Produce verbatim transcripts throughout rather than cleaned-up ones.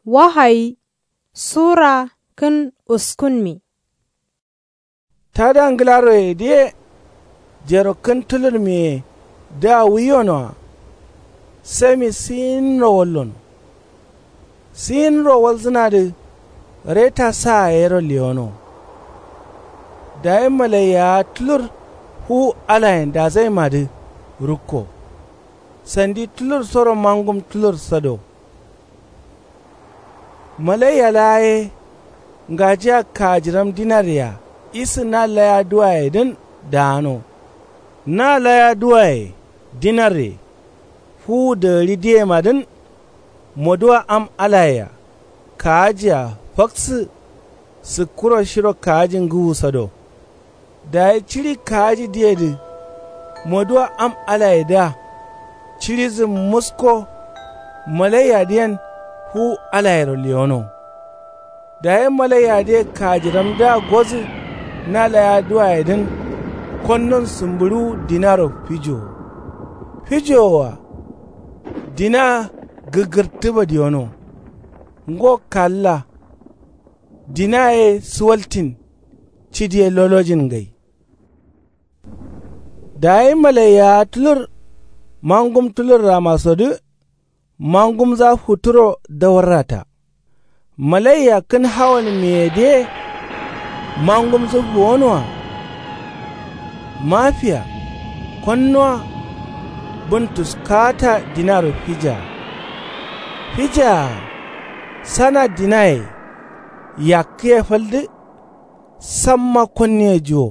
Wahayi sura kǝn uskunmi. Tada ngǝlaroye dǝye jero kǝn tulurmiye dǝa wuyonoa. Sami siyinro wallono. Siyinro walzǝnadǝ reta saa yero lewono. Dayi malaiyawa tulur fuwu alayen dazaimadǝ rukko. Sandi tulursoro mangum tulur sado. Malaiya laa ye ngajiya kajiram dinarye-a isǝ na laya duwayedǝn daano. Na laya duwaye dinarye fuwu dagǝri diyemadǝn. Moduwa am alaye-a kaaji-a faksǝ sǝkkuro shiro kaaji ngǝwu sado. Dayi ciɍi kaaji diyedǝ moduwa am alayedǝa ciɍizǝ musko. Malaiyadǝ yen fuwu alayero lewono. Dayi malaiyadǝye kajiramdǝa gozǝ na laya duwayedǝn. Konnon sǝmbǝɍuwu dinaro fijowo. Fijowoa dina gǝgǝrtǝ badiyono. Ngo kalla dina ye suwaltin. Cidi ye lolojin ngai. Dayi malaiyawa tulur mangum tulurramasodǝ. Mangumza futuro dawarrata. Malaiya kǝn hawalmiyedǝye mangumzǝ fuwonoa. Mafiya konnuwa bǝn tuskata dinaro fijaa. Fijaa sana dinaye yakkǝye faldǝ. Samma konniye juwo.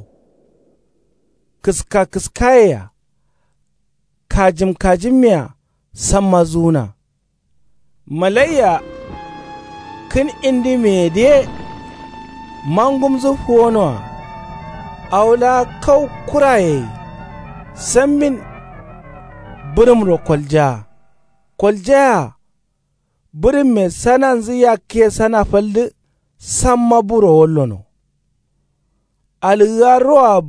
Kǝska kǝskayea kajim kajimyea samma zuwuna. Malaiya kǝn indimiyedǝye mangumzǝ fuwonoa. Awo laa kau kuraye sambin bǝrǝmro koljaa. Koljayea bǝrǝmme sananzǝ yakkǝye sana faldǝ. Samma buro wallono. Alǝgǝgarroa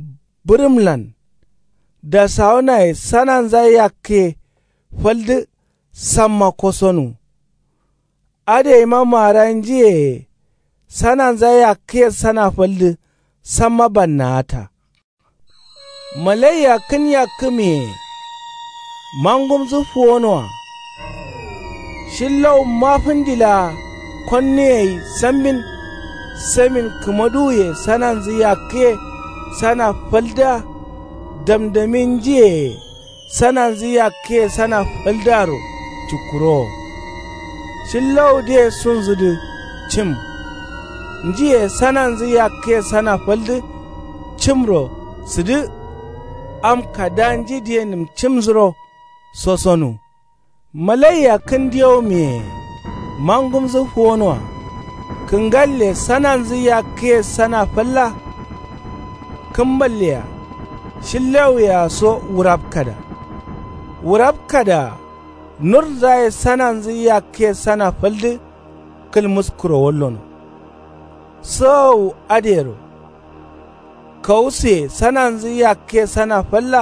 bǝrǝmlan dasawunaye sananza yakkǝye faldǝ. Samma kosonu. Adǝ yeima maara njiyeye sananza yakkǝye sana faldǝ. Samma bannawata. Malaiya kǝn yakkǝmiye mangumzǝ fuwonoa. Shillau mafǝndi laa konnuye gai sambin. Samin kǝmaduwuye sananzǝ yakkǝye sana faldǝa. Damdamin njiyeye sananzǝ yakkǝye sana faldǝaro cukkurowo. Shillawudǝye sunzǝdǝ cim. Njiye sananzǝ yakkǝye sana faldǝ cimro sǝdǝ. Am kada njidǝye nǝmcimzǝro sosonu. Malaiya kǝn diyaumiye mangumzǝ fuwonoa. Kǝngalle sananzǝ yakkǝye sana falla. Kǝmballea shillawuyea so wurapkada. Wurapkada nurzaye sananzǝ yakkǝye sana faldǝ. Kǝlmuskuro wallono. Sǝwawu adǝyero kawusuye sananzǝ yakkǝye sana falla.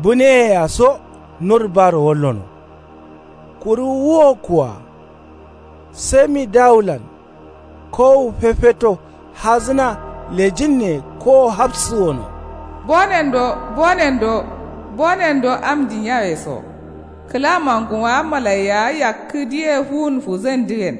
Buneyea so nur baro wallono. Kuru wuwokku-a sami dawulan kowu fefeto hazǝna lejinne kowo hafsǝ wono. Bonendo bonendo bonendo am jinyaweso. Kǝla manguma malaiyawa yakkǝ diye fuwun fuzandǝyen.